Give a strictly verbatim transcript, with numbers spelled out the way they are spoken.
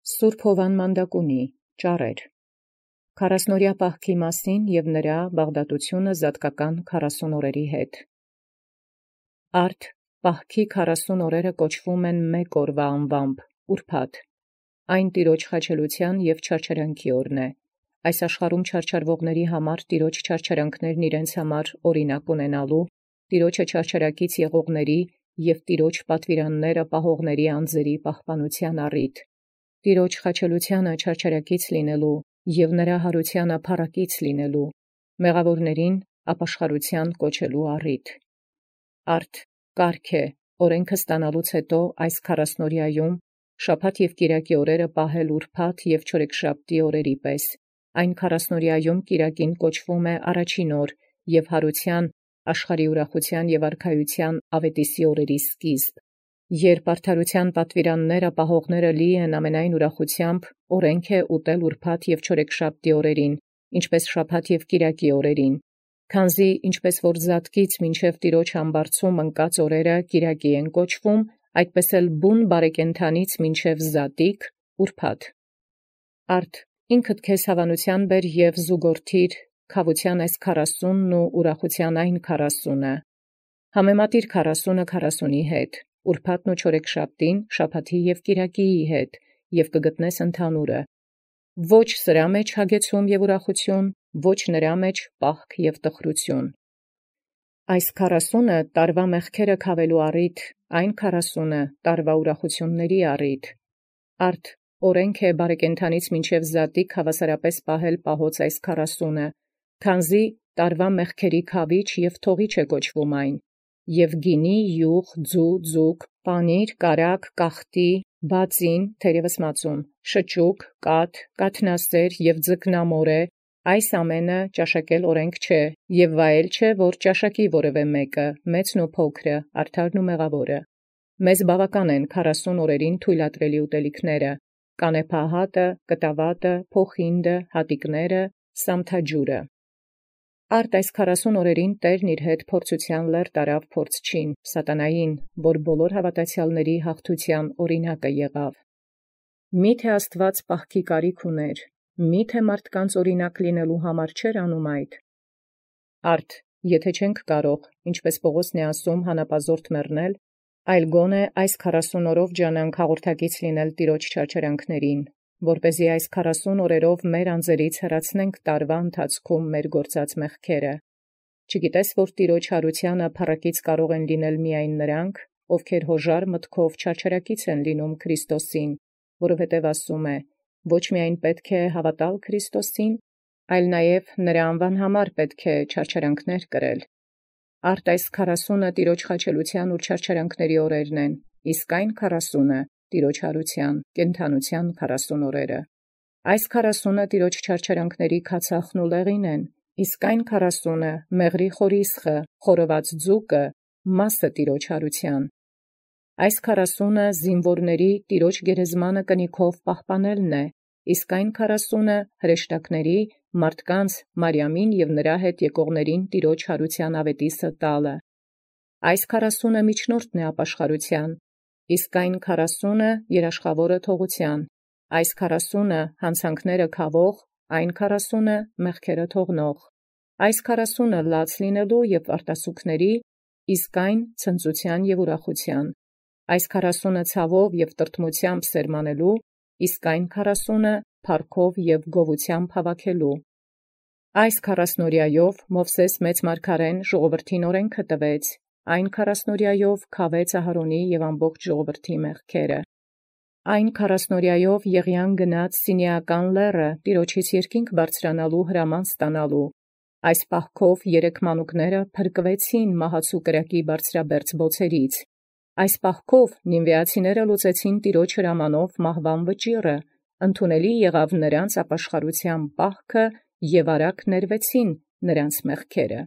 Սուրբ Հովան Մանդակունի ճառեր քառասնօրյա պահքի մասին և նրա բաղդատությունը զատկական քառասուն օրերի հետ։ Արդ պահքի քառասուն օրերը կոչվում են մեկ օրվա անվամբ ուրբաթ, այն Տիրոջ խաչելության և չարչարանքի օրն է։ Այս աշխարհում չարչարվողների համար Տիրոջ չարչարանքներն իրենց համար օրինակ ունենալու, Տիրոջը չարչարակից եղողների և Տիրոջ պատվիրանները պահողների անձերի պահպանության առիթ, Տիրոջ խաչելությանը չարչարակից լինելու և նրա հարությանը փառակից լինելու, մեղավորներին ապաշխարության կոչելու առիթ։ Արդ կարգ է օրենքը ստանալուց հետո այս քառասնօրյայում շաբաթ և կիրակի օրերը պահել ուրբաթ և չորեքշաբթի օրերի պես, այն քառասնօրյայում կիրակին կոչվում է առաջին օր և հարության, աշխարհի ուրախության և արքայության ավետիսի օրերի սկիզբ, երբ արդարության պատվիրանները պահողները լի են ամենայն ուրախությամբ, օրենք է ուտել ուրբաթ և չորեքշաբթի օրերին, ինչպես շաբաթ և կիրակի օրերին, քանզի ինչպես որ զատկից մինչև Տիրոջ համբարձում ընկած օրերը կիրակի են կոչվում, այդպես էլ բուն բարեկենդանից մինչև զատիկ ուրբաթ։ Արդ ինքդ քեզ հավանության բեր և զուգորդիր քավության այս քառասունն ու ուրախության այն քառասունը, համեմատիր քառասունը քառասունի հետ, ուրբաթն ու չորեքշաբթին շաբաթի և կիրակիի հետ, և կգտնես ընդհանուրը, ոչ սրա մեջ հագեցում և ուրախություն, ոչ նրա մեջ պահք և տխրություն։ Այս քառասունը տարվա մեղքերը քավելու առիթ, այն քառասունը տարվա ուրախությունների առիթ։ Արդ օրենք է բարեկենդանից մինչև զատիկ հավասարապես պահել պահոց այս քառասունը, քանզի տարվա մեղքերի քավիչ և թողիչ է կոչվում այն, և գինի, յուղ, ձու, ձուկ, պանիր, կարագ, կախտի, բածին, թերևս մածուն, շճուկ, կաթ, կաթնասեր և ձկնամոր է, այս ամենը ճաշակել օրենք չէ, և վայել չէ, որ ճաշակի որևէ մեկը, մեծն ու փոքրը, արդարն ու մեղավորը։ Մեզ բավական են քառասուն օրերին թույլատրելի ուտելիքները, կանեփահատը, կտավատը, փոխինդը, հատիկները, սամթաջուրը։ Արդ այս քառասուն օրերին Տերն իր հետ փորձութեան լեռ տարավ փորձչին, սատանային, որ բոլոր հաւատացեալների հաղթութեան օրինակը եղավ։ Մի՞թե Աստուած պահքի կարիք ուներ, մի՞թե մարդկանց օրինակ լինելու համար չէր անում այդ։ Արդ եթե չենք կարող, ինչպես Պողոսն է ասում, հանապազորդ մեռնել, այլ գոնե այս քառասուն օրով ջանանք հաղորդակից լինել Տիրոջ չարչարանքներին, որպեսզի այս քառասուն օրերով մեր անձերից հեռացնենք տարվա ընթացքում մեր գործած մեղքերը։ Չգիտես, որ Տիրոջ հարությանը փառակից կարող են լինել միայն նրանք, ովքեր հոժար մտքով չարչարակից են լինում Քրիստոսին, որովհետև ասում է. ոչ միայն պետք է հավատալ Քրիստոսին, այլ նաև նրա անվան համար պետք է չարչարանքներ կրել։ Արդ այս քառասունը Տիրոջ խաչելության ու չարչարանքների օրերն են, իսկ այն քառասունը Տիրոջ հարության, կենդանության քառասուն օրերը։ Այս քառասունը Տիրոջ չարչարանքների քացախն ու լեղին են, իսկ այն քառասունը մեղրի խորիսխը, խորոված ձուկը, մասը Տիրոջ հարության։ Այս քառասունը զինվորների Տիրոջ գերեզմանը կնիքով պահպանելն է, իսկ այն քառասունը հրեշտակների, մարդկանց, Մարիամին և նրա հետ եկողներին Տիրոջ հարության ավետիսը տալը։ Այս քառասունը միջնորդն է ապաշխարության, իսկ այն քառասունը երաշխավորը թողության, այս քառասունը հանցանքները քավող, այն քառասունը մեղքերը թողնող, այս քառասունը լաց լինելու և արտասուքների, իսկ այն ցնծության և ուրախության, այս քառասունը ցավով և տրտմությամբ սերմանելու, իսկ այն քառասունը փառքով և գովութեամբ հավաքելու։ Այս քառասնօրյայով Մովսէս մեծ մարգարեն ժողովրդին օրենքը տվեց, այն քառասնօրյայով քավեց Ահարոնի և ամբողջ ժողովրդի մեղքերը։ Այն քառասնօրյայով Եղիան գնաց Սինեական լեռը Տիրոջից երկինք բարձրանալու հրաման ստանալու։ Այս պահքով երեք մանուկները փրկվեցին մահացու կրակի բարձրաբերձ բոցերից։ Այս պահքով նինվեացիները լուծեցին Տիրոջ հրամանով մահվան վճիռը, ընդունելի եղավ նրանց ապաշխարության պահքը և արագ ներվեցին նրանց մեղքերը։